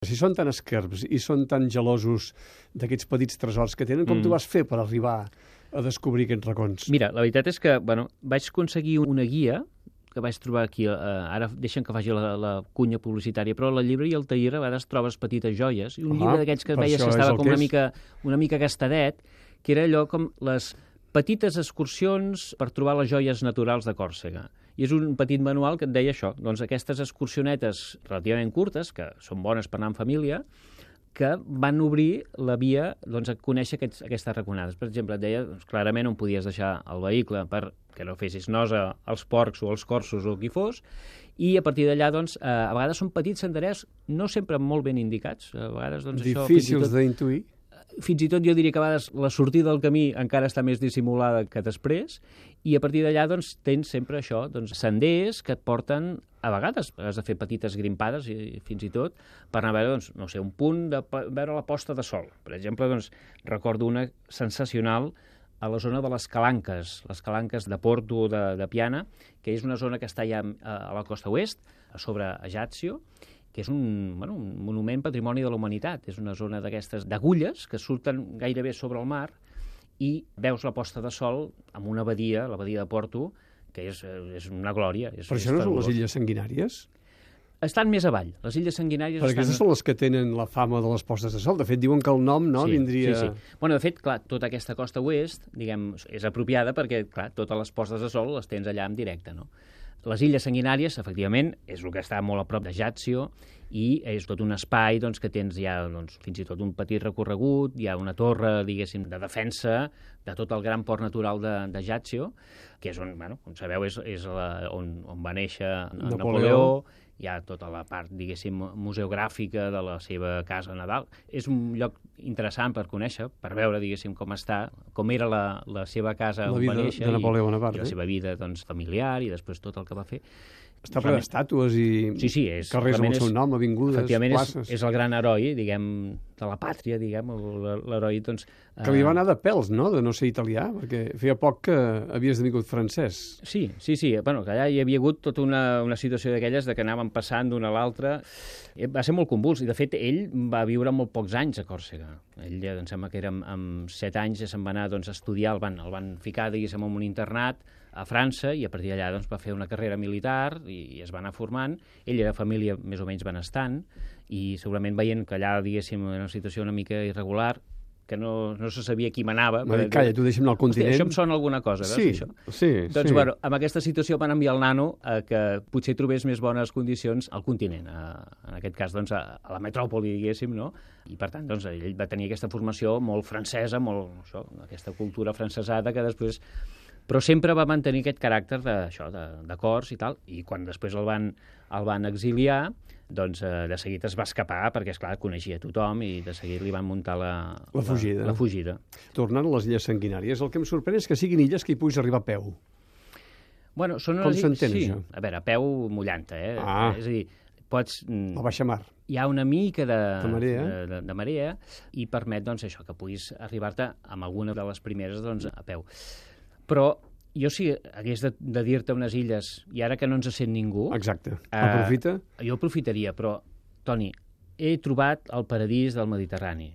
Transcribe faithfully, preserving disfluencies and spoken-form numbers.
Si són tan esquerps i són tan gelosos d'aquests petits tresors que tenen, com mm. tu vas fer per arribar a descobrir aquests racons? Mira, la veritat és que bueno, vaig aconseguir una guia que vaig trobar aquí, eh, ara deixen que faci la, la cunya publicitària, però a la llibreria El Taller a vegades trobes petites joies, i un ah, llibre d'aquests que veies que estava com una mica, una mica gastadet, que era allò com les petites excursions per trobar les joies naturals de Còrsega. I és un petit manual que et deia això, doncs aquestes excursionetes relativament curtes, que són bones per anar en família, que van obrir la via doncs, a conèixer aquests, aquestes raconades. Per exemple, et deia doncs, clarament on podies deixar el vehicle perquè no fessis nosa als porcs o als corsos o qui fos, i a partir d'allà, doncs, eh, a vegades són petits senderers, no sempre molt ben indicats. A vegades, doncs, difícils això, d'intuir. Fins i tot jo diria que a vegades la sortida del camí encara està més dissimulada que després, i a partir d'allà doncs, tens sempre això, doncs, senders que et porten, a vegades has de fer petites grimpades i fins i tot, per anar a veure, doncs, no sé, un punt de veure la posta de sol. Per exemple, doncs, recordo una sensacional a la zona de les Calanques, les Calanques de Porto de, de Piana, que és una zona que està ja a la costa oest, a sobre Ajaccio, que és un, bueno, un monument patrimoni de la humanitat. És una zona d'aquestes d'agulles que surten gairebé sobre el mar i veus la posta de sol amb una badia, la badia de Porto, que és, és una glòria. És, Però això no són les Illes Sanguinàries? Estan més avall. Les Illes Sanguinàries... Perquè estan... aquestes són les que tenen la fama de les postes de sol. De fet, diuen que el nom no sí, vindria... Sí, sí. Bueno, de fet, clar, tota aquesta costa oest, diguem, és apropiada perquè, clar, totes les postes de sol les tens allà en directe, no? Les Illes Sanguinàries, efectivament, és el que està molt a prop d'Ajaccio i és tot un espai doncs, que tens ja doncs, fins i tot un petit recorregut, hi ha una torre, diguéssim, de defensa de tot el gran port natural d'Ajaccio, que és on, bueno, com sabeu, és, és la, on, on va néixer Napoleó. Napoleó. Hi ha tota la part, diguéssim, museogràfica de la seva casa natal. És un lloc interessant per conèixer, per veure, diguéssim, com està, com era la, la seva casa la on va néixer, de Napoleó Bonaparte, i, i la seva vida doncs, familiar, i després tot el que va fer. Està ple d'estàtues i sí, sí, és, carrers amb el seu nom, avingudes, places. És, és el gran heroi, diguem, de la pàtria, diguem, l'heroi, doncs... Que li va anar de pèls, no?, de no ser italià, perquè feia poc que havies esdevingut francès. Sí, sí, sí. Bueno, que allà hi havia hagut tota una, una situació d'aquelles de que anàvem passant d'una a l'altra. Va ser molt convuls, i de fet ell va viure molt pocs anys a Còrsega. Ell, em sembla que era amb, amb set anys, ja se'n va anar doncs, a estudiar, el van, el van ficar, diguéssim, en un internat a França, i a partir d'allà doncs, va fer una carrera militar i, i es va anar formant. Ell era família més o menys benestant, i segurament veient que allà, diguéssim, era una situació una mica irregular, que no, no se sabia qui manava. Dir, calla, tu deixa'm anar al continent. Hòstia, això em sona alguna cosa, veus, sí, això? Sí, doncs, sí. Bueno, amb aquesta situació van enviar el nano a que potser trobés més bones condicions al continent, a, en aquest cas, doncs, a, a la metròpoli, diguéssim, no? I, per tant, doncs, ell va tenir aquesta formació molt francesa, molt, això, aquesta cultura francesada que després... Però sempre va mantenir aquest caràcter de, això, de, de cors i tal, i quan després el van, el van exiliar, doncs eh, de seguit es va escapar, perquè, esclar, coneixia tothom, i de seguit li van muntar la, la, fugida. la, la fugida. Tornant a les Illes Sanguinàries, el que em sorprèn és que siguin illes que hi puguis arribar a peu. Bueno, són Com s'entén, sí. això? A veure, a peu mullant-te, eh? Ah. És a dir, pots... A baixa mar. Hi ha una mica de, de, marea. De, de, de marea i permet, doncs, això, que puguis arribar-te amb alguna de les primeres, doncs, a peu. Però jo si hagués de, de dir-te unes illes, i ara que no ens sent ningú... Exacte. Aprofita? Eh, jo aprofitaria, però, Toni, he trobat el paradís del Mediterrani.